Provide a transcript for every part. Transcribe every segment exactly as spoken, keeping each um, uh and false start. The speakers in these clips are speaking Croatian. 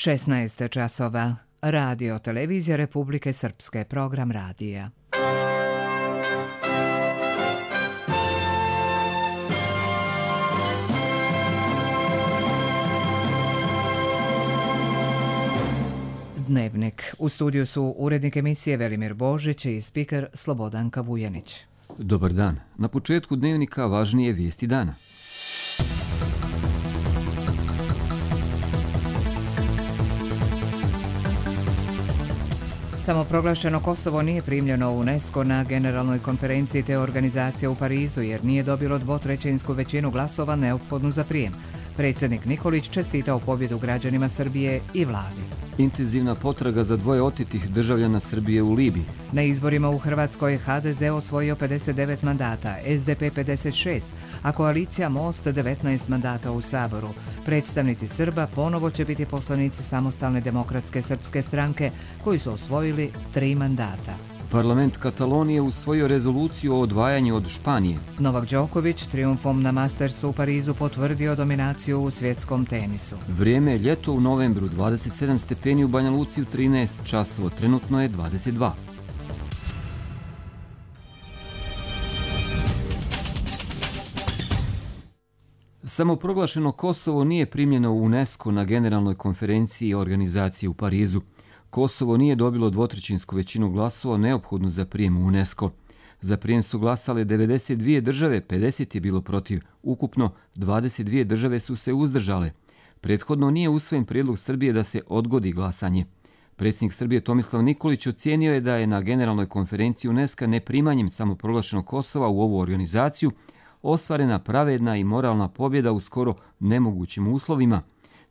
šesnaest časova. Radio Televizija Republike Srpske, program radija. Dnevnik. U studiju su urednik emisije Velimir Božić i spiker Slobodanka Vujanić. Dobar dan. Na početku dnevnika važnije vijesti dana. Samoproglašeno Kosovo nije primljeno u UNESCO na generalnoj konferenciji te organizacije u Parizu jer nije dobilo dvotrećinsku većinu glasova neophodnu za prijem. Predsjednik Nikolić čestitao pobjedu građanima Srbije i vladi. Intenzivna potraga za dvoje otitih državljana Srbije u Libiji. Na izborima u Hrvatskoj ha de ze osvojio pedeset devet mandata, es de pe pedeset šest, a koalicija Most devetnaest mandata u Saboru. Predstavnici Srba ponovo će biti poslanici Samostalne demokratske srpske stranke koji su osvojili tri mandata. Parlament Katalonije usvojio rezoluciju o odvajanju od Španije. Novak Đoković trijumfom na Mastersu u Parizu potvrdio dominaciju u svjetskom tenisu. Vrijeme je ljeto u novembru, dvadeset sedam stepeni u Banja Luci, u trinaest časova, trenutno je dvadeset dva. Samoproglašeno Kosovo nije primljeno u UNESCO na generalnoj konferenciji organizacije u Parizu. Kosovo nije dobilo dvotrećinsku većinu glasova neophodnu za prijem u UNESCO. Za prijem su glasale devedeset dvije države, pedeset je bilo protiv. Ukupno dvadeset dvije države su se uzdržale. Prethodno nije usvojen prijedlog Srbije da se odgodi glasanje. Predsjednik Srbije Tomislav Nikolić ocijenio je da je na generalnoj konferenciji UNESCO neprimanjem samoproglašenog Kosova u ovu organizaciju ostvarena pravedna i moralna pobjeda u skoro nemogućim uslovima.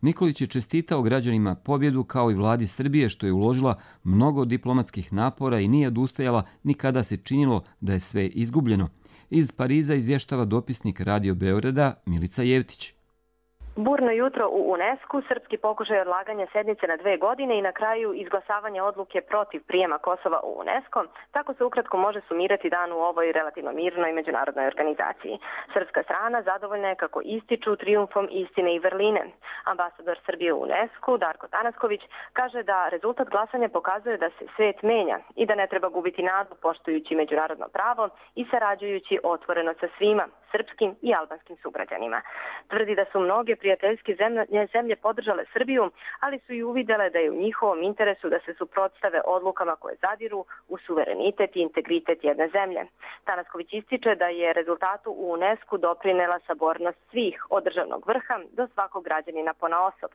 Nikolić je čestitao građanima pobjedu kao i vladi Srbije što je uložila mnogo diplomatskih napora i nije odustajala ni kada se činilo da je sve izgubljeno. Iz Pariza izvještava dopisnik Radio Beograda Milica Jevtić. Burno jutro u UNESCO, srpski pokušaj odlaganja sednice na dve godine i na kraju izglasavanja odluke protiv prijema Kosova u UNESCO. Tako se ukratko može sumirati dan u ovoj relativno mirnoj međunarodnoj organizaciji. Srpska strana zadovoljna je kako ističu trijumfom istine i vrline. Ambasador Srbije u UNESCO, Darko Tanasković, kaže da rezultat glasanja pokazuje da se svijet menja i da ne treba gubiti nadu poštujući međunarodno pravo i sarađujući otvoreno sa svima, srpskim i albanskim sugrađanima. Tvrdi da su mnoge prijateljske zemlje, zemlje podržale Srbiju, ali su i uvidjele da je u njihovom interesu da se suprotstave odlukama koje zadiru u suverenitet i integritet jedne zemlje. Tanasković ističe da je rezultatu u UNESCO doprinela sabornost svih od državnog vrha do svakog građanina ponaosob.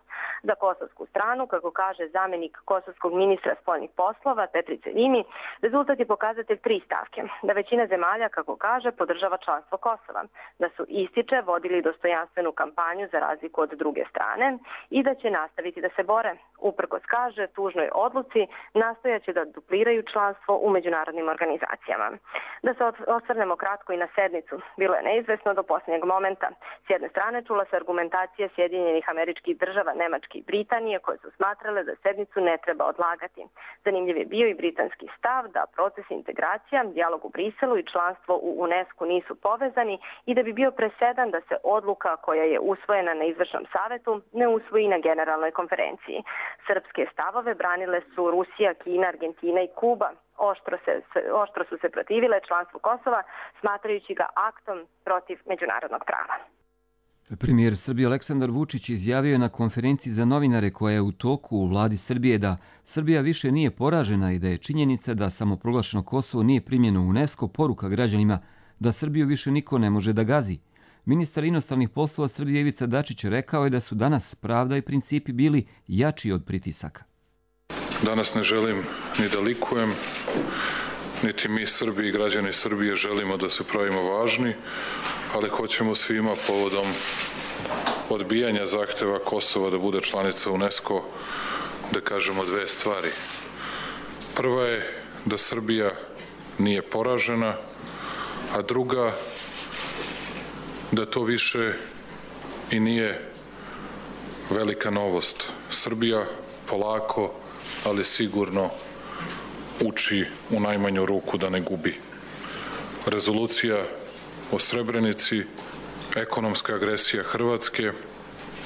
Za kosovsku stranu, kako kaže zamjenik kosovskog ministra spoljnih poslova Petri Celjini, rezultat je pokazatelj tri stavke. Da većina zemalja, kako kaže, podržava članstvo Kosova, da su, ističe, vodili dostojanstvenu kampanju za razliku od druge strane i da će nastaviti da se bore. Uprkos, kaže, tužnoj odluci nastojaće da dupliraju članstvo u međunarodnim organizacijama. Da se osvrnemo kratko i na sednicu. Bilo je neizvesno do posljednjeg momenta. S jedne strane čula se argumentacija Sjedinjenih Američkih Država, Nemačke i Britanije koje su smatrale da sednicu ne treba odlagati. Zanimljiv je bio i britanski stav da proces integracija, dijalog u Briselu i članstvo u UNESCO nisu povezani i da bi bio presedan da se odluka koja je usvojena na izvršnom savetu ne usvoji na generalnoj konferenciji. Srpske stavove branile su Rusija, Kina, Argentina i Kuba. Oštro, se, oštro su se protivile članstvu Kosova, smatrajući ga aktom protiv međunarodnog prava. Premijer Srbije Aleksandar Vučić izjavio je na konferenciji za novinare koja je u toku u vladi Srbije da Srbija više nije poražena i da je činjenica da samoproglašeno Kosovo nije primljeno u UNESCO poruka građanima da Srbiju više niko ne može da gazi. Ministar inostranih poslova Srbije Ivica Dačić rekao je da su danas pravda i principi bili jači od pritisaka. Danas ne želim ni da likujem, niti mi Srbi i građani Srbije želimo da se pravimo važni, ali hoćemo svima povodom odbijanja zahteva Kosova da bude članica UNESCO da kažemo dve stvari. Prva je da Srbija nije poražena, a druga da to više i nije velika novost. Srbija polako, ali sigurno uči u najmanju ruku da ne gubi. Rezolucija o Srebrenici, ekonomska agresija Hrvatske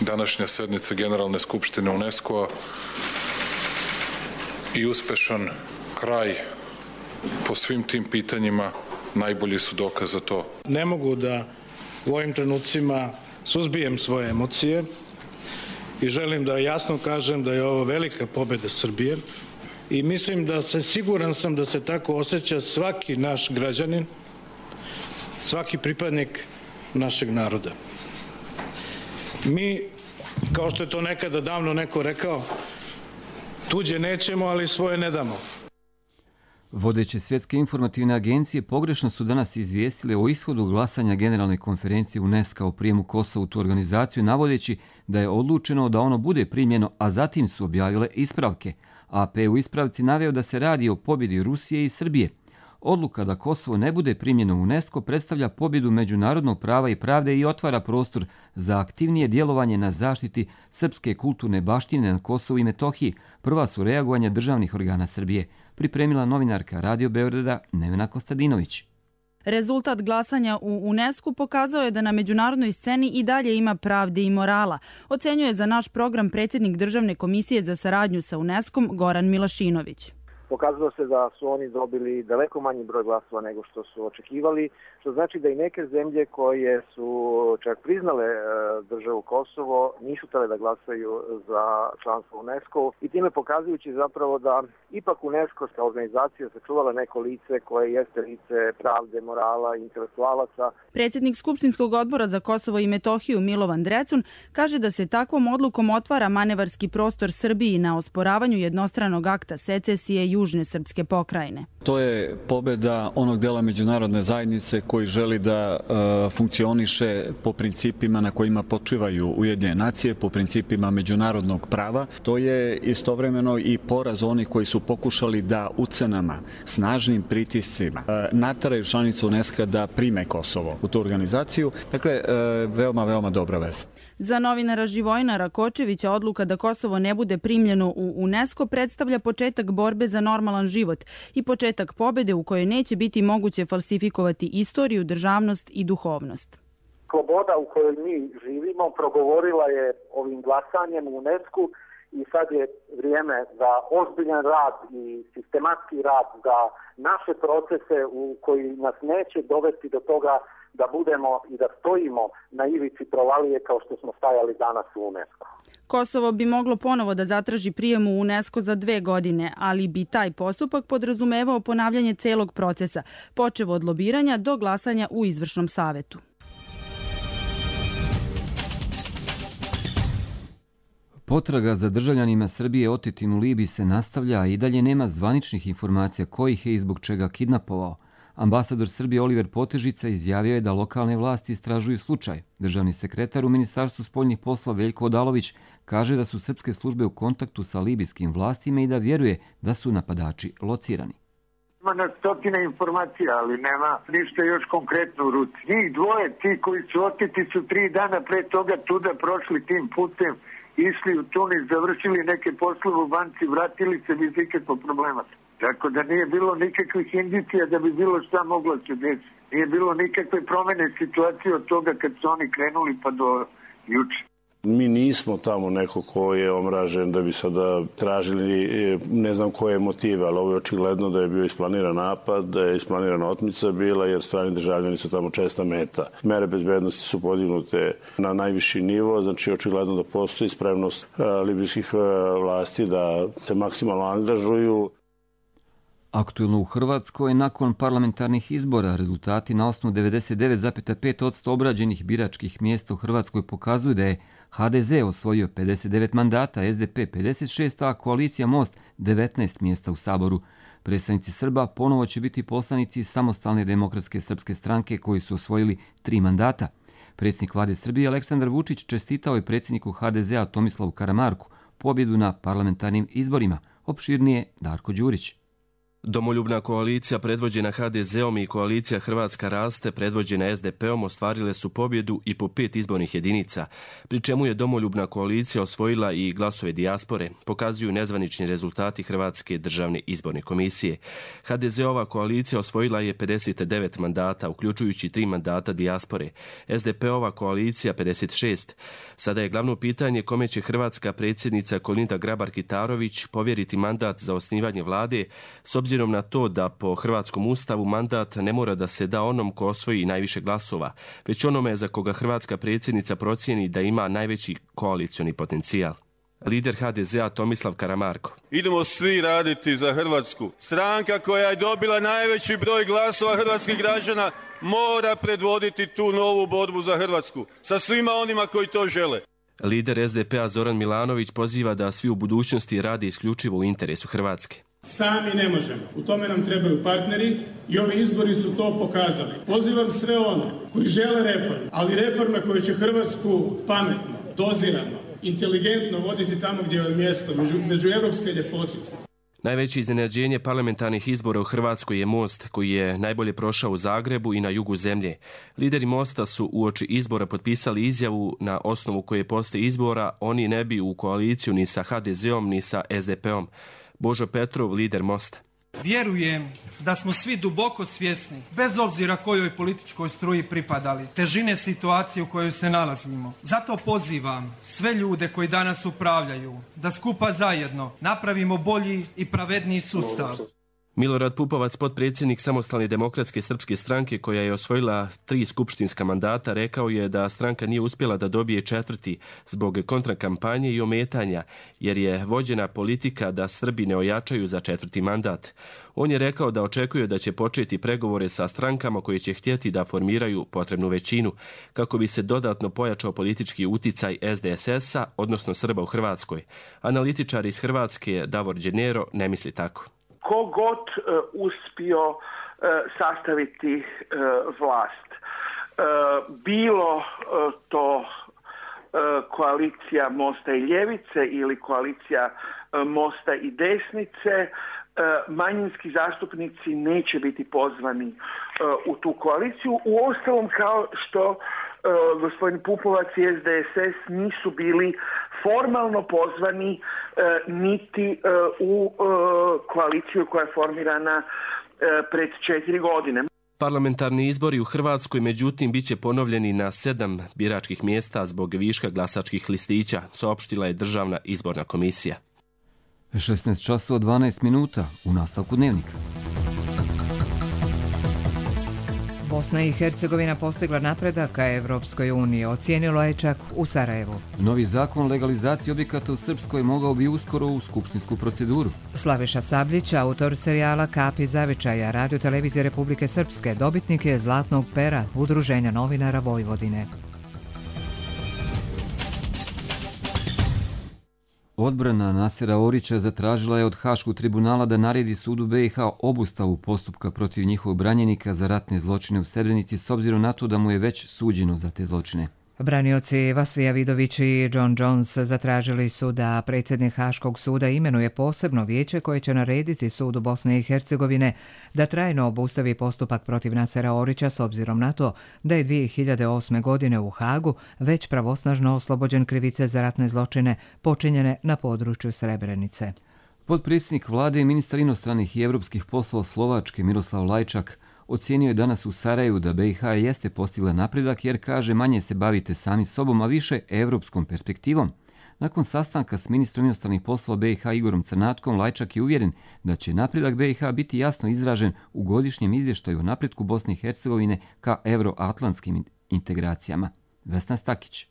današnja sednica Generalne skupštine UNESCO-a i uspešan kraj po svim tim pitanjima najbolji su dokaz za to. Ne mogu da u ovim trenucima suzbijem svoje emocije i želim da jasno kažem da je ovo velika pobeda Srbije i mislim da se, siguran sam da se tako osjeća svaki naš građanin, svaki pripadnik našeg naroda. Mi, kao što je to nekada davno neko rekao, tuđe nećemo, ali svoje ne damo. Vodeće svjetske informativne agencije pogrešno su danas izvijestile o ishodu glasanja Generalne konferencije UNESCO o prijemu Kosova u tu organizaciju, navodeći da je odlučeno da ono bude primljeno, a zatim su objavile ispravke. A P u ispravci naveo da se radi o pobjedi Rusije i Srbije. Odluka da Kosovo ne bude primljeno u UNESCO predstavlja pobjedu međunarodnog prava i pravde i otvara prostor za aktivnije djelovanje na zaštiti srpske kulturne baštine na Kosovu i Metohiji. Prva su reagovanja državnih organa Srbije, pripremila novinarka Radio Beograda Nevena Kostadinović. Rezultat glasanja u UNESCO pokazao je da na međunarodnoj sceni i dalje ima pravde i morala, ocenjuje za naš program predsjednik Državne komisije za saradnju sa UNESCO-om Goran Milašinović. Pokazalo se da su oni dobili daleko manji broj glasova nego što su očekivali, što znači da i neke zemlje koje su čak priznale državu Kosovo nisu htjele da glasaju za članstvo u UNESCO i time pokazujući zapravo da ipak UNESCO kao organizacija sačuvala neko lice koje jeste lice pravde, morala i intelektualaca. Predsjednik Skupštinskog odbora za Kosovo i Metohiju Milovan Drecun kaže da se takvom odlukom otvara manevarski prostor Srbiji na osporavanju jednostranog akta secesije južne srpske pokrajine. To je pobjeda onog dela međunarodne zajednice koji želi da e, funkcioniše po principima na kojima počivaju Ujedinjene nacije, po principima međunarodnog prava. To je istovremeno i poraz onih koji su pokušali da ucenama, snažnim pritiscima e, nateraju članicu UNESCO da prime Kosovo u tu organizaciju. Dakle, e, veoma, veoma dobra vest. Za novinara Živojina Rakočevića odluka da Kosovo ne bude primljeno u UNESCO predstavlja početak borbe za normalan život i početak pobjede u kojoj neće biti moguće falsifikovati istoriju, državnost i duhovnost. Sloboda u kojoj mi živimo progovorila je ovim glasanjem u UNESCO i sad je vrijeme za ozbiljan rad i sistematski rad za naše procese u koji nas neće dovesti do toga da budemo i da stojimo na ivici provalije kao što smo stajali danas u UNESCO. Kosovo bi moglo ponovo da zatraži prijem u UNESCO za dve godine, ali bi taj postupak podrazumevao ponavljanje celog procesa, počev od lobiranja do glasanja u izvršnom savetu. Potraga za državljanima Srbije otetim u Libiji se nastavlja, a i dalje nema zvaničnih informacija ko ih je i zbog čega kidnapovao. Ambasador Srbije Oliver Potežica izjavio je da lokalne vlasti istražuju slučaj. Državni sekretar u Ministarstvu spoljnih poslova Veljko Odalović kaže da su srpske službe u kontaktu sa libijskim vlastima i da vjeruje da su napadači locirani. Ima na stotine informacija, ali nema ništa još konkretno u ruci. Njih dvoje, ti koji su oteti, su tri dana pre toga tuda prošli tim putem, išli u Tunis, završili neke poslove u banci, vratili se bez ikakvog problema. Tako da nije bilo nikakvih indicija da bi bilo šta moglo se desiti. Nije bilo nikakve promjene situacije od toga kad su oni krenuli pa do juče. Mi nismo tamo neko ko je omražen da bi sada tražili, ne znam koje motive, ali ovo je očigledno da je bio isplaniran napad, da je isplanirana otmica bila, jer strani državljani su tamo česta meta. Mere bezbednosti su podignute na najviši nivo, znači očigledno da postoji spremnost libijskih vlasti da se maksimalno angažuju. Aktuelno u Hrvatskoj, nakon parlamentarnih izbora, rezultati na osnovu devedeset devet zarez pet posto obrađenih biračkih mjesta u Hrvatskoj pokazuju da je ha de ze osvojio pedeset devet mandata, es de pe pedeset šest, a koalicija Most devetnaest mjesta u Saboru. Predstavnici Srba ponovo će biti poslanici Samostalne demokratske srpske stranke koji su osvojili tri mandata. Predsjednik vlade Srbije Aleksandar Vučić čestitao je predsjedniku ha de zea Tomislavu Karamarku pobjedu na parlamentarnim izborima. Opširnije Darko Đurić. Domoljubna koalicija predvođena ha de zeom i koalicija Hrvatska raste predvođena es de peom ostvarile su pobjedu i po pet izbornih jedinica, pri čemu je Domoljubna koalicija osvojila i glasove dijaspore, pokazuju nezvanični rezultati Hrvatske državne izborne komisije. ha de zeova koalicija osvojila je pedeset devet mandata, uključujući tri mandata dijaspore, es de peova koalicija pedeset šest. Sada je glavno pitanje kome će hrvatska predsjednica Kolinda Grabar-Kitarović povjeriti mandat za osnivanje vlade, s obzirom na to da po hrvatskom ustavu mandat ne mora da se da onom ko osvoji najviše glasova, već onome za koga hrvatska predsjednica procijeni da ima najveći koalicioni potencijal. Lider ha de zea Tomislav Karamarko. Idemo svi raditi za Hrvatsku. Stranka koja je dobila najveći broj glasova hrvatskih građana mora predvoditi tu novu borbu za Hrvatsku sa svima onima koji to žele. Lider es de pea Zoran Milanović poziva da svi u budućnosti rade isključivo u interesu Hrvatske. Sami ne možemo. U tome nam trebaju partneri i ovi izbori su to pokazali. Pozivam sve one koji žele reforme, ali reforme koje će Hrvatsku pametno, dozirano, inteligentno voditi tamo gdje je mjesto, među, među evropske ljepotice. Najveće iznenađenje parlamentarnih izbora u Hrvatskoj je Most, koji je najbolje prošao u Zagrebu i na jugu zemlje. Lideri Mosta su uoči izbora potpisali izjavu na osnovu koje posle izbora oni ne bi u koaliciju ni sa ha de zeom ni sa es de peom. Božo Petrov, lider Mosta. Vjerujem da smo svi duboko svjesni, bez obzira kojoj političkoj struji pripadali, težine situacije u kojoj se nalazimo. Zato pozivam sve ljude koji danas upravljaju da skupa zajedno napravimo bolji i pravedniji sustav. Milorad Pupovac, potpredsjednik Samostalne demokratske srpske stranke koja je osvojila tri skupštinska mandata, rekao je da stranka nije uspjela da dobije četvrti zbog kontrakampanje i ometanja, jer je vođena politika da Srbi ne ojačaju za četvrti mandat. On je rekao da očekuje da će početi pregovore sa strankama koje će htjeti da formiraju potrebnu većinu, kako bi se dodatno pojačao politički uticaj es de es es-a, odnosno Srba u Hrvatskoj. Analitičar iz Hrvatske Davor Đenero ne misli tako. Ko god uh, uspio uh, sastaviti uh, vlast, uh, bilo uh, to uh, koalicija Mosta i Ljevice ili koalicija uh, Mosta i Desnice, uh, manjinski zastupnici neće biti pozvani uh, u tu koaliciju. Uostalom, kao što uh, gospodin Pupovac i es de es es nisu bili formalno pozvani e, niti e, u e, koaliciju koja je formirana e, pred četiri godine. Parlamentarni izbori u Hrvatskoj, međutim, bit će ponovljeni na sedam biračkih mjesta zbog viška glasačkih listića, saopštila je Državna izborna komisija. šesnaest časova dvanaest minuta u nastavku dnevnika. Bosna i Hercegovina postigla napredak ka Evropskoj uniji, ocijenilo je čak u Sarajevu. Novi zakon o legalizaciji objekata u Srpskoj mogao bi uskoro u skupštinsku proceduru. Slaviša Sabljić, autor serijala Kapi zavičaja, Radio televizije Republike Srpske, dobitnik je Zlatnog pera Udruženja novinara Vojvodine. Odbrana Nasera Orića zatražila je od Haškog tribunala da naredi sudu be i ha obustavu postupka protiv njihovog branjenika za ratne zločine u Srebrenici s obzirom na to da mu je već suđeno za te zločine. Branioci Vasvija Vidović i John Jones zatražili su da predsjednik Haškog suda imenuje posebno vijeće koje će narediti sudu Bosne i Hercegovine da trajno obustavi postupak protiv Nasera Orića s obzirom na to da je dvije hiljade osme. godine u Hagu već pravosnažno oslobođen krivice za ratne zločine počinjene na području Srebrenice. Potpredsjednik vlade i ministar inostranih i evropskih poslova Slovačke Miroslav Lajčak ocijenio je danas u Sarajevu da be i ha jeste postigla napredak jer, kaže, manje se bavite sami sobom, a više evropskom perspektivom. Nakon sastanka s ministrom inostranih poslova be i ha Igorom Crnatkom, Lajčak je uvjeren da će napredak be i ha biti jasno izražen u godišnjem izvještaju o napretku Bosne i Hercegovine ka euroatlantskim integracijama. Vesna Stakić.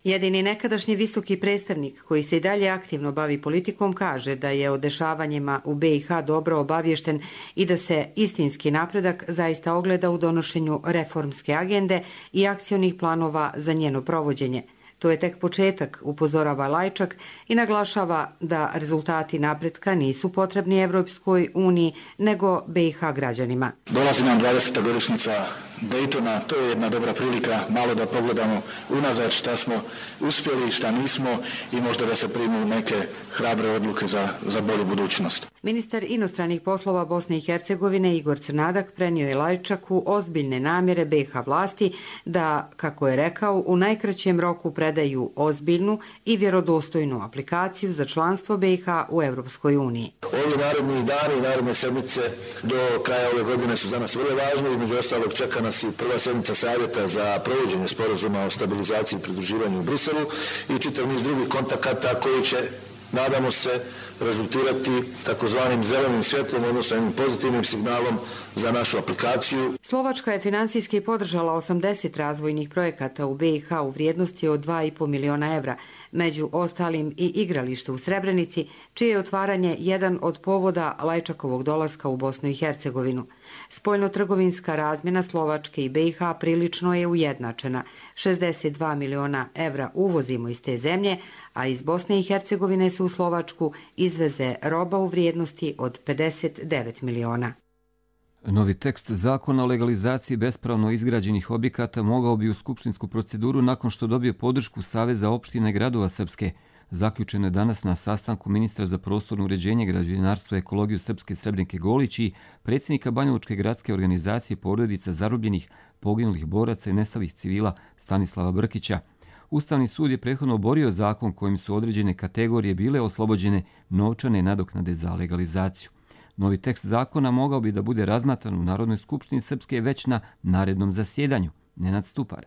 Jedini nekadašnji visoki predstavnik koji se i dalje aktivno bavi politikom kaže da je o dešavanjima u be i ha dobro obaviješten i da se istinski napredak zaista ogleda u donošenju reformske agende i akcionih planova za njeno provođenje. To je tek početak, upozorava Lajčak i naglašava da rezultati napretka nisu potrebni Evropskoj uniji, nego be i ha građanima. Dolazi nam dvadeseta godišnjica Daytona, to je jedna dobra prilika malo da pogledamo unazad šta smo uspjeli, šta nismo i možda da se primu neke hrabre odluke za, za bolju budućnost. Ministar inostranih poslova Bosne i Hercegovine Igor Crnadak prenio je Lajčaku ozbiljne namjere B i H vlasti da, kako je rekao, u najkraćem roku predaju ozbiljnu i vjerodostojnu aplikaciju za članstvo B i H u Europskoj uniji. Ovi naredni dani i naredne sedmice do kraja ove godine su za nas vrlo važni. Između ostalog čeka nas i prva sjednica savjeta za provođenje sporazuma o stabilizaciji i pridruživanju u Briselu i čitav niz drugih kontakata koji će, nadamo se, rezultirati takozvanim zelenim svjetlom, odnosno jednim pozitivnim signalom za našu aplikaciju. Slovačka je finansijski podržala osamdeset razvojnih projekata u B i H u vrijednosti od dva i po miliona evra, među ostalim i igralište u Srebrenici, čije je otvaranje jedan od povoda Lajčakovog dolaska u Bosnu i Hercegovinu. Spoljnotrgovinska razmjena Slovačke i B i H prilično je ujednačena. šezdeset dva miliona evra uvozimo iz te zemlje, a iz Bosne i Hercegovine se u Slovačku izveze roba u vrijednosti od pedeset devet miliona. Novi tekst zakona o legalizaciji bespravno izgrađenih objekata mogao bi u skupštinsku proceduru nakon što dobije podršku Saveza opština i gradova Srpske. Zaključeno je danas na sastanku ministra za prostorno uređenje, građevinarstvo i ekologiju Srpske Srebrnike Golić i predsjednika Banjalučke gradske organizacije porodica zarobljenih, poginulih boraca i nestalih civila Stanislava Brkića. Ustavni sud je prethodno oborio zakon kojim su određene kategorije bile oslobođene novčane nadoknade za legalizaciju. Novi tekst zakona mogao bi da bude razmatran u Narodnoj skupštini Srpske već na narednom zasjedanju. Nenad Stupar.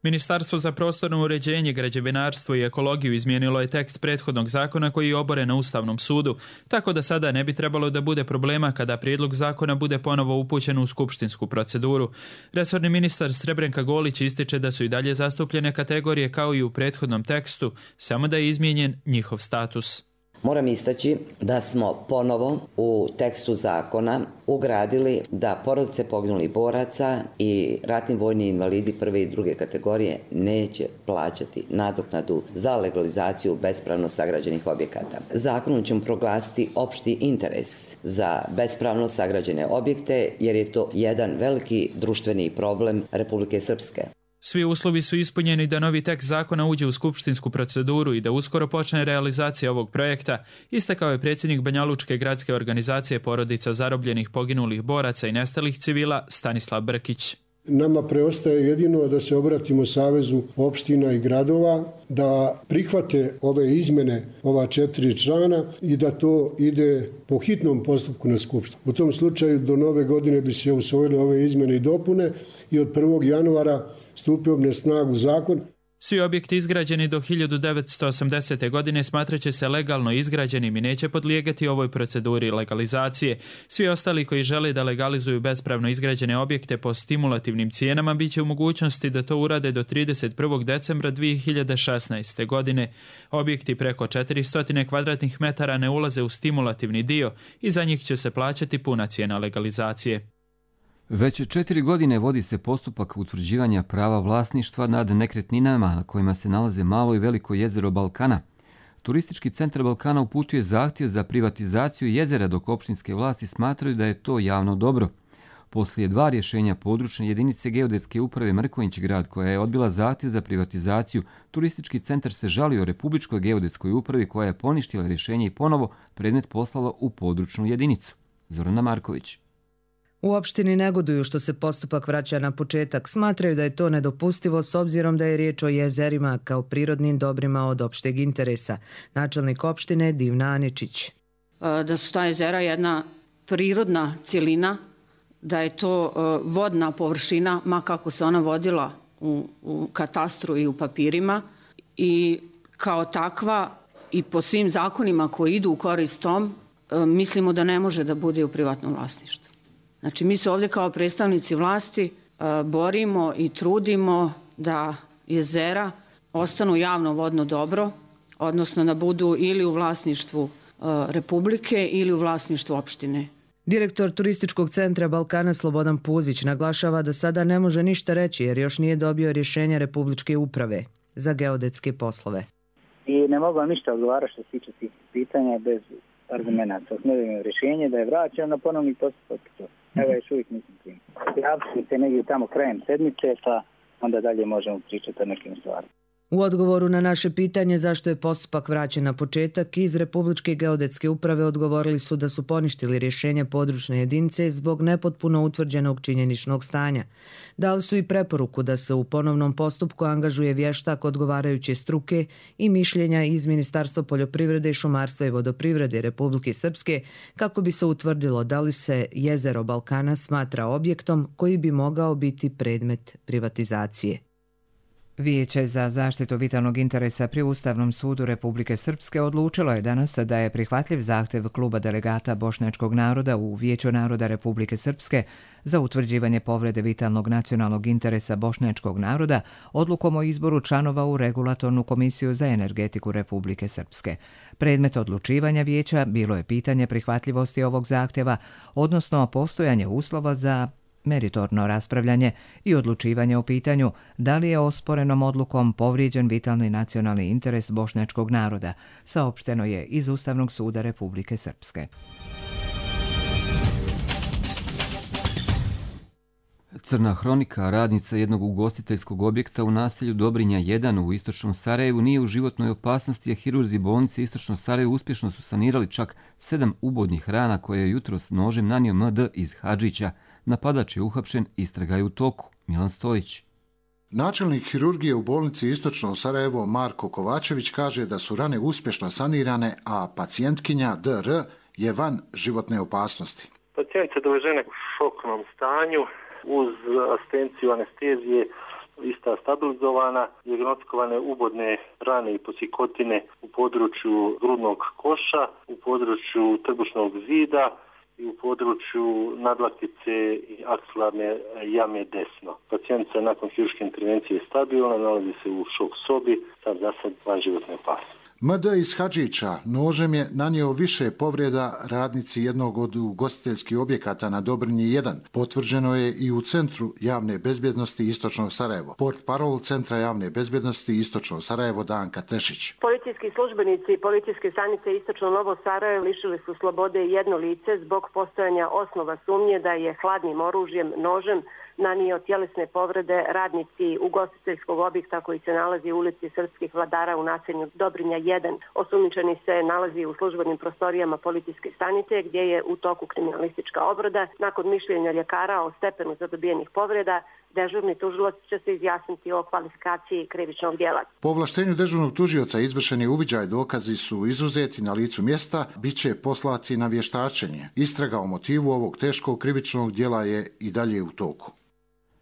Ministarstvo za prostorno uređenje, građevinarstvo i ekologiju izmijenilo je tekst prethodnog zakona koji je oboren na Ustavnom sudu, tako da sada ne bi trebalo da bude problema kada prijedlog zakona bude ponovo upućen u skupštinsku proceduru. Resorni ministar Srebrenka Golić ističe da su i dalje zastupljene kategorije kao i u prethodnom tekstu, samo da je izmijenjen njihov status. Moram istaći da smo ponovo u tekstu zakona ugradili da porodice poginulih boraca i ratni vojni invalidi prve i druge kategorije neće plaćati nadoknadu za legalizaciju bespravno sagrađenih objekata. Zakonom ćemo proglasiti opšti interes za bespravno sagrađene objekte jer je to jedan veliki društveni problem Republike Srpske. Svi uslovi su ispunjeni da novi tekst zakona uđe u skupštinsku proceduru i da uskoro počne realizacija ovog projekta, istakao je predsjednik Banjalučke gradske organizacije porodica zarobljenih, poginulih boraca i nestalih civila Stanislav Brkić. Nama preostaje jedino da se obratimo Savezu opština i gradova, da prihvate ove izmjene, ova četiri člana i da to ide po hitnom postupku na skupštinu. U tom slučaju do nove godine bi se usvojile ove izmjene i dopune i od prvog januara stupio na snagu zakon. Svi objekti izgrađeni do hiljadu devetsto osamdesete. godine smatraće se legalno izgrađenim i neće podlijegati ovoj proceduri legalizacije. Svi ostali koji žele da legalizuju bespravno izgrađene objekte po stimulativnim cijenama bit će u mogućnosti da to urade do trideset prvog decembra dvije hiljade šesnaeste. godine. Objekti preko četiristo kvadratnih metara ne ulaze u stimulativni dio i za njih će se plaćati puna cijena legalizacije. Već četiri godine vodi se postupak utvrđivanja prava vlasništva nad nekretninama na kojima se nalaze malo i veliko jezero Balkana. Turistički centar Balkana uputuje zahtjev za privatizaciju jezera dok opštinske vlasti smatraju da je to javno dobro. Poslije dva rješenja područne jedinice geodetske uprave Mrkonjić grad koja je odbila zahtjev za privatizaciju, turistički centar se žalio Republičkoj geodetskoj upravi koja je poništila rješenje i ponovo predmet poslala u područnu jedinicu. Zorana Marković. U opštini negoduju što se postupak vraća na početak. Smatraju da je to nedopustivo s obzirom da je riječ o jezerima kao prirodnim dobrima od opšteg interesa. Načelnik opštine Divna Aničić. Da su ta jezera jedna prirodna cjelina, da je to vodna površina, ma kako se ona vodila u, u katastru i u papirima, i kao takva i po svim zakonima koji idu u korist tom, mislimo da ne može da bude u privatnom vlasništvu. Znači, mi se ovdje kao predstavnici vlasti borimo i trudimo da jezera ostanu javno vodno dobro, odnosno da budu ili u vlasništvu Republike ili u vlasništvu opštine. Direktor turističkog centra Balkana Slobodan Puzić naglašava da sada ne može ništa reći jer još nije dobio rješenje Republičke uprave za geodetske poslove. I ne mogu vam ništa odgovarati što se tiče tih pitanja bez argumenta. Osnovimo rješenje da je vraćeno na ponovni postupak. Evo još uvijek nisam tim. Javite se negdje tamo krajem sedmice, pa onda dalje možemo pričati o nekim stvarima. U odgovoru na naše pitanje zašto je postupak vraćen na početak, iz Republičke geodetske uprave odgovorili su da su poništili rješenje područne jedinice zbog nepotpuno utvrđenog činjeničnog stanja. Dali su i preporuku da se u ponovnom postupku angažuje vještak odgovarajuće struke i mišljenja iz Ministarstva poljoprivrede, šumarstva i vodoprivrede Republike Srpske kako bi se utvrdilo da li se jezero Balkana smatra objektom koji bi mogao biti predmet privatizacije. Vijeće za zaštitu vitalnog interesa pri Ustavnom sudu Republike Srpske odlučilo je danas da je prihvatljiv zahtjev kluba delegata bošnjačkog naroda u Vijeću naroda Republike Srpske za utvrđivanje povrede vitalnog nacionalnog interesa bošnjačkog naroda odlukom o izboru članova u Regulatornu komisiju za energetiku Republike Srpske. Predmet odlučivanja vijeća bilo je pitanje prihvatljivosti ovog zahtjeva, odnosno postojanje uslova za meritorno raspravljanje i odlučivanje o pitanju da li je osporenom odlukom povrijeđen vitalni nacionalni interes bošnjačkog naroda, saopšteno je iz Ustavnog suda Republike Srpske. Crna hronika, radnica jednog ugostiteljskog objekta u naselju Dobrinja jedan u istočnom Sarajevu, nije u životnoj opasnosti, a hirurzi bolnice istočno Sarajevo uspješno su sanirali čak sedam ubodnih rana koje je jutros nožem nanio M D iz Hadžića. Napadač je uhapšen, istraga je u toku. Milan Stojić. Načelnik hirurgije u bolnici Istočno Sarajevo Marko Kovačević kaže da su rane uspješno sanirane, a pacijentkinja D R je van životne opasnosti. Pacijentice dovežene u šoknom stanju uz asistenciju anestezije, ista stabilizovana, dijagnostikovane ubodne rane i posikotine u području grudnog koša, u području trbušnog zida i u području nadlaktice i aksilarne jame desno. Pacijentica nakon hirurške intervencije je stabilna, nalazi se u šok sobi, sad za sad van životne opasnosti. M D iz Hadžića nožem je nanio više povreda radnici jednog od ugostiteljskih objekata na Dobrinji jedan. Potvrđeno je i u Centru javne bezbjednosti Istočno Sarajevo. Portparol Centra javne bezbjednosti Istočno Sarajevo Danka Tešić. Policijski službenici policijske stanice Istočno Novo Sarajevo lišili su slobode jedno lice zbog postojanja osnova sumnje da je hladnim oružjem, nožem, nanio tjelesne povrede radnici ugostiteljskog objekta koji se nalazi u ulici Srpskih vladara u naselju Dobrinja jedan. Osumnjičeni se nalazi u službenim prostorijama policijske stanice gdje je u toku kriminalistička obrada. Nakon mišljenja ljekara o stepenu zadobijenih povreda, dežurni tužilac će se izjasniti o kvalifikaciji krivičnog djela. Po ovlaštenju dežurnog tužioca izvršeni uviđaj dokazi su izuzeti na licu mjesta, bit će poslati na vještačenje. Istraga o motivu ovog teškog krivičnog djela je i dalje u toku.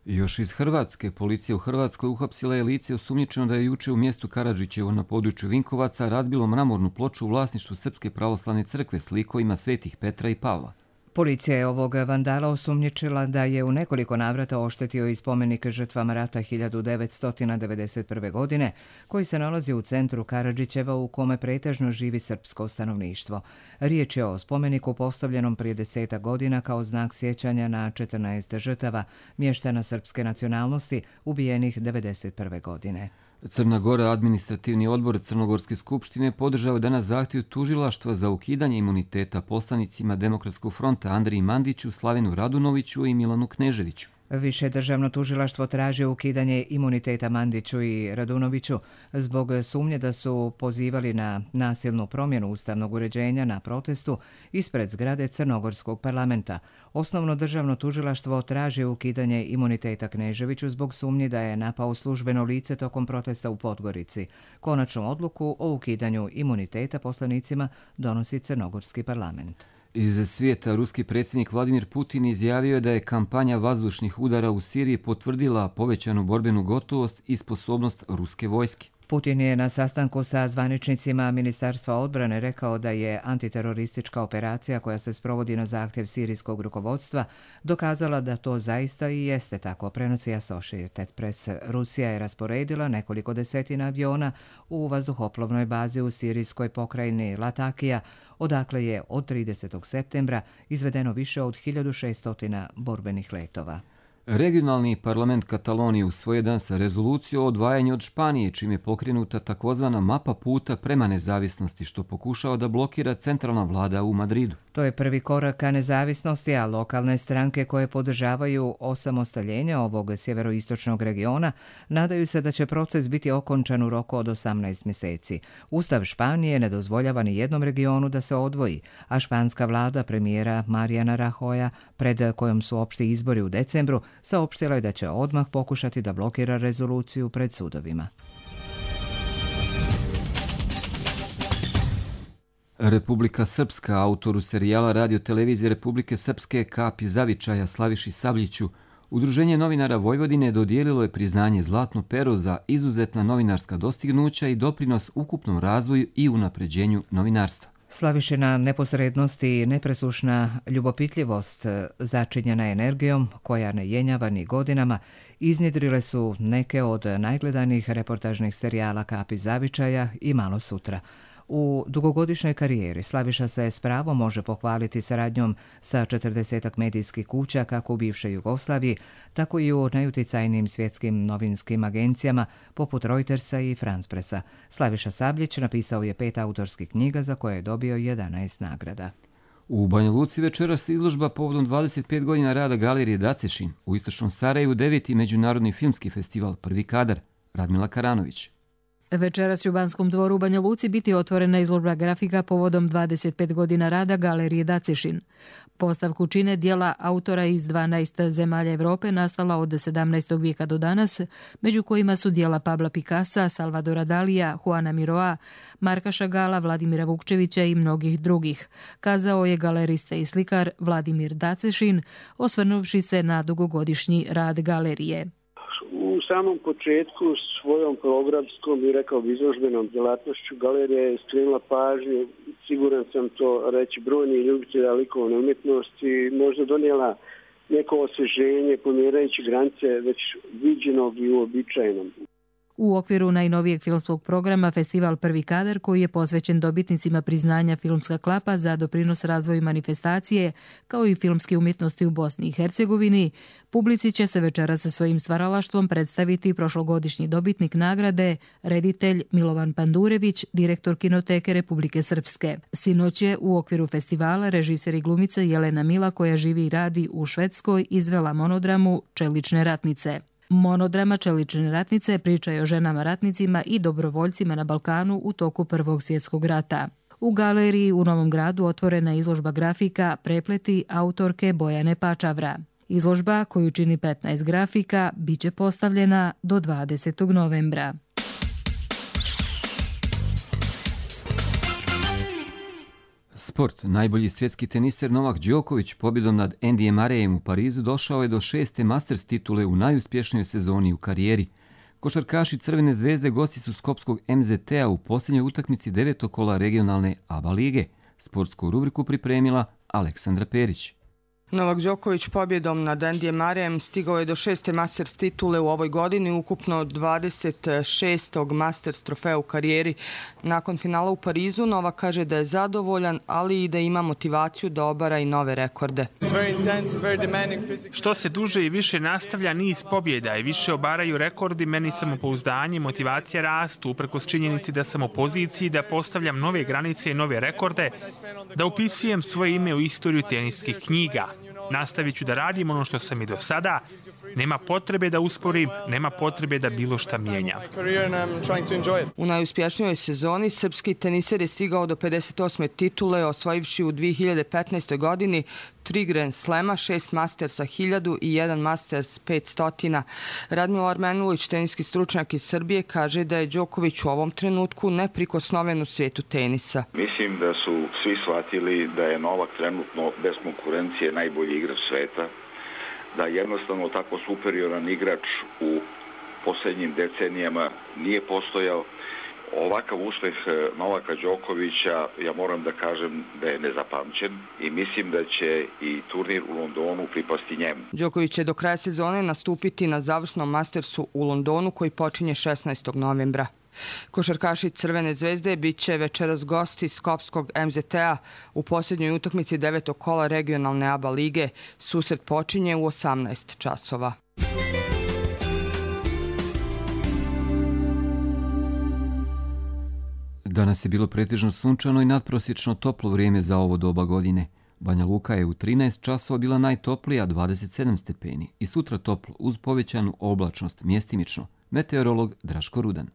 Još iz Hrvatske, policija u Hrvatskoj uhapsila je lice osumnjičeno da je juče u mjestu Karadžićevo na području Vinkovaca razbilo mramornu ploču u vlasništvu Srpske pravoslavne crkve s likovima svetih Petra i Pavla. Policija je ovog vandala osumnjičila da je u nekoliko navrata oštetio i spomenik žrtvama rata hiljadu devetsto devedeset prve. godine, koji se nalazi u centru Karadžićeva u kome pretežno živi srpsko stanovništvo. Riječ je o spomeniku postavljenom prije deseta godina kao znak sjećanja na četrnaest žrtava mještana srpske nacionalnosti ubijenih devedeset prve. godine. Crna Gora, administrativni odbor Crnogorske skupštine, podržao danas zahtjev tužilaštva za ukidanje imuniteta poslanicima Demokratskog fronta Andriji Mandiću, Slavenu Radunoviću i Milanu Kneževiću. Više državno tužilaštvo traži ukidanje imuniteta Mandiću i Radunoviću zbog sumnje da su pozivali na nasilnu promjenu ustavnog uređenja na protestu ispred zgrade Crnogorskog parlamenta. Osnovno državno tužilaštvo traži ukidanje imuniteta Kneževiću zbog sumnje da je napao službeno lice tokom protesta u Podgorici. Konačnu odluku o ukidanju imuniteta poslanicima donosi Crnogorski parlament. Iz svijeta ruski predsjednik Vladimir Putin izjavio je da je kampanja vazdušnih udara u Siriji potvrdila povećanu borbenu gotovost i sposobnost ruske vojske. Putin je na sastanku sa zvaničnicima Ministarstva odbrane rekao da je antiteroristička operacija koja se sprovodi na zahtjev sirijskog rukovodstva dokazala da to zaista i jeste tako, prenosi Associated Press. Rusija je rasporedila nekoliko desetina aviona u vazduhoplovnoj bazi u sirijskoj pokrajini Latakija, odakle je od tridesetog septembra izvedeno više od hiljadu šesto borbenih letova. Regionalni parlament Katalonije usvojio danas rezoluciju o odvajanju od Španije, čim je pokrenuta takozvana mapa puta prema nezavisnosti, što pokušava da blokira centralna vlada u Madridu. To je prvi korak ka nezavisnosti, a lokalne stranke koje podržavaju osamostaljenje ovog sjeveroistočnog regiona nadaju se da će proces biti okončan u roku od osamnaest mjeseci. Ustav Španije ne dozvoljava ni jednom regionu da se odvoji, a španska vlada premijera Mariana Rajoya, pred kojom su opšti izbori u decembru, saopštila je da će odmah pokušati da blokira rezoluciju pred sudovima. Republika Srpska, autoru serijala Radio televizije Republike Srpske Kapi Zavičaja Slaviši Sabljiću, Udruženje novinara Vojvodine dodijelilo je priznanje Zlatno pero za izuzetna novinarska dostignuća i doprinos ukupnom razvoju i unapređenju novinarstva. Slavišina neposrednost i nepresušna ljubopitljivost, začinjena energijom koja ne jenjava ni godinama, iznjedrile su neke od najgledanijih reportažnih serijala Kapi Zavičaja i Malo sutra. U dugogodišnjoj karijeri Slaviša se s pravom može pohvaliti saradnjom sa četrdesetak medijskih kuća kako u bivšoj Jugoslaviji, tako i u najuticajnijim svjetskim novinskim agencijama poput Reutersa i France Pressa. Slaviša Sabljić napisao je pet autorskih knjiga za koje je dobio jedanaest nagrada. U Banja Luci večeras izložba povodom dvadeset pet godina rada Galerije Dacešin, u istočnom Sarajevu deveti međunarodni filmski festival Prvi kadar. Radmila Karanović. Večeras će u Banskom dvoru u Banja Luci biti otvorena izložba grafika povodom dvadeset pet godina rada Galerije Dacešin. Postavku čine dijela autora iz dvanaest zemalja Evrope nastala od sedamnaestog vijeka do danas, među kojima su dijela Pabla Picassa, Salvadora Dalija, Juana Miroa, Marka Šagala, Vladimira Vukčevića i mnogih drugih, kazao je galerista i slikar Vladimir Dacešin, osvrnuvši se na dugogodišnji rad galerije. U samom početku svojom programskom i rekao bi izložbenom djelatnošću galerija je skrenula pažnju, siguran sam to reći, brojni ljubitelja likovne umjetnosti, možda donijela neko osvježenje pomjerajući granice već viđenog i uobičajenog. U okviru najnovijeg filmskog programa Festival Prvi kadar, koji je posvećen dobitnicima priznanja Filmska klapa za doprinos razvoju manifestacije, kao i filmske umjetnosti u Bosni i Hercegovini, publici će se večera sa svojim stvaralaštvom predstaviti prošlogodišnji dobitnik nagrade, reditelj Milovan Pandurević, direktor Kinoteke Republike Srpske. Sinoć je u okviru festivala režiser i glumica Jelena Mila, koja živi i radi u Švedskoj, izvela monodramu Čelične ratnice. Monodrama Čelične ratnice priča je o ženama ratnicima i dobrovoljcima na Balkanu u toku Prvog svjetskog rata. U galeriji u Novom Gradu otvorena je izložba grafika Prepleti autorke Bojane Pačavra. Izložba, koju čini petnaest grafika, bit će postavljena do dvadesetog novembra. Sport. Najbolji svjetski teniser Novak Đoković pobjedom nad Andyjem Murrayem u Parizu došao je do šeste Masters titule u najuspješnijoj sezoni u karijeri. Košarkaši Crvene zvezde gosti su Skopskog M Z T-a u posljednjoj utakmici devetog kola regionalne A B A lige. Sportsku rubriku pripremila Aleksandra Perić. Novak Đoković pobjedom nad Andyjem Murrayem stigao je do šeste Masters titule u ovoj godini, ukupno dvadeset šestog Masters trofeja u karijeri. Nakon finala u Parizu, Novak kaže da je zadovoljan, ali i da ima motivaciju da obara i nove rekorde. Što se duže i više nastavlja niz pobjeda i više obaraju rekordi, meni samopouzdanje i motivacija rastu, uprkos činjenici da sam u poziciji da postavljam nove granice i nove rekorde, da upisujem svoje ime u istoriju teniskih knjiga. Nastavit ću da radim ono što sam i do sada. Nema potrebe da usporim, nema potrebe da bilo šta mijenjam. U najuspješnijoj sezoni srpski teniser je stigao do pedeset osme titule, osvojivši u dvije hiljade petnaestoj godini tri Grand Slema, šest Mastersa hiljadu i jedan Masters petsto. Radmilo Armenulić, teniski stručnjak iz Srbije, kaže da je Đoković u ovom trenutku neprikosnoven u svijetu tenisa. Mislim da su svi shvatili da je Novak trenutno bez konkurencije najbolji igrač sveta, da jednostavno tako superioran igrač u posljednjim decenijama nije postojao. Ovakav uspeh Novaka Đokovića, ja moram da kažem da je nezapamćen i mislim da će i turnir u Londonu pripasti njemu. Đoković će do kraja sezone nastupiti na završnom Mastersu u Londonu koji počinje šesnaestog novembra. Košarkaši Crvene zvezde bit će večeras gosti Skopskog em zet te-a u posljednjoj utakmici devetog kola regionalne A B A lige. Susret počinje u osamnaest časova. Danas je bilo pretežno sunčano i nadprosječno toplo vrijeme za ovo doba godine. Banja Luka je u trinaest časova bila najtoplija, dvadeset sedam stepeni, i sutra toplo uz povećanu oblačnost mjestimično. Meteorolog Draško Rudan.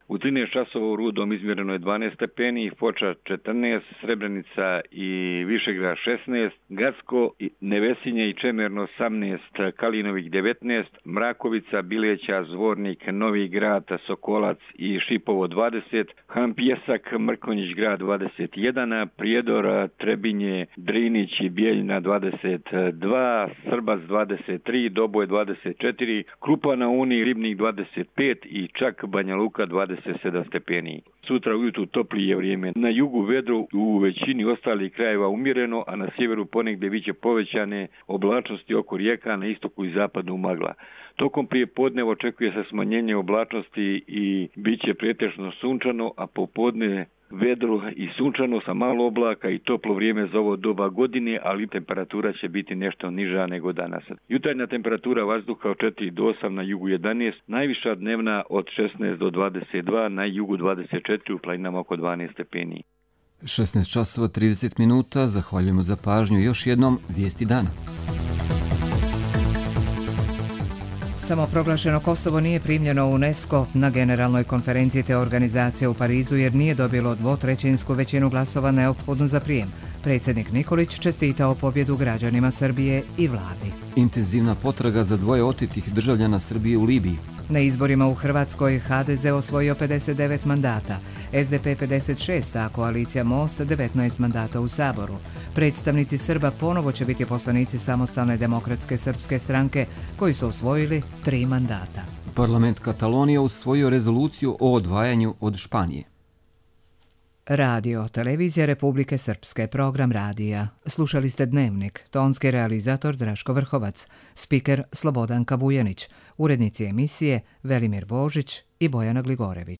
U trinaest časova u Rudom izmjereno je dvanaest stepeni, Foča četrnaest, Srebrenica i Višegrad šesnaest, Gacko, Nevesinje i Čemerno osamnaest, Kalinovik devetnaest, Mrakovica, Bileća, Zvornik, Novi Grad, Sokolac i Šipovo dvadeset, Han Pjesak, Mrkonjić grad dvadeset jedan, Prijedor, Trebinje, Drinić i Bijeljina dvadeset dva, Srbac dvadeset tri, Doboj dvadeset četiri, Krupa na Uni, Ribnik dvadeset pet i čak Banja Luka dvadeset sedam stepeni. Sutra ujutru toplije vrijeme. Na jugu vedro, u većini ostalih krajeva umjereno, a na sjeveru ponegdje biće povećane oblačnosti oko rijeka, na istoku i zapadu magla. Tokom prijepodneva očekuje se smanjenje oblačnosti i bit će pretežno sunčano, a popodne vedro i sunčano sa malo oblaka i toplo vrijeme za ovo doba godine, ali temperatura će biti nešto niža nego danas. Jutarnja temperatura vazduha od četiri do osam, na jugu jedanaest, najviša dnevna od šesnaest do dvadeset dva, na jugu dvadeset četiri, u planinama oko dvanaest stepeni. šesnaest časova trideset minuta, zahvaljujemo za pažnju. Još jednom vijesti dana. Samoproglašeno Kosovo nije primljeno u UNESCO na generalnoj konferenciji te organizacije u Parizu jer nije dobilo dvotrećinsku većinu glasova neophodnu za prijem. Predsjednik Nikolić čestitao pobjedu građanima Srbije i vladi. Intenzivna potraga za dvoje otetih državljana Srbije u Libiji. Na izborima u Hrvatskoj ha de ze osvojio pedeset devet mandata, es de pe pedeset šest, a koalicija Most devetnaest mandata u Saboru. Predstavnici Srba ponovo će biti poslanici Samostalne demokratske srpske stranke koji su osvojili tri mandata. Parlament Katalonije usvojio rezoluciju o odvajanju od Španije. Radio, televizija Republike Srpske, program radija. Slušali ste Dnevnik, tonski realizator Draško Vrhovac, spiker Slobodanka Vujanić, urednici emisije Velimir Božić i Bojana Gligorević.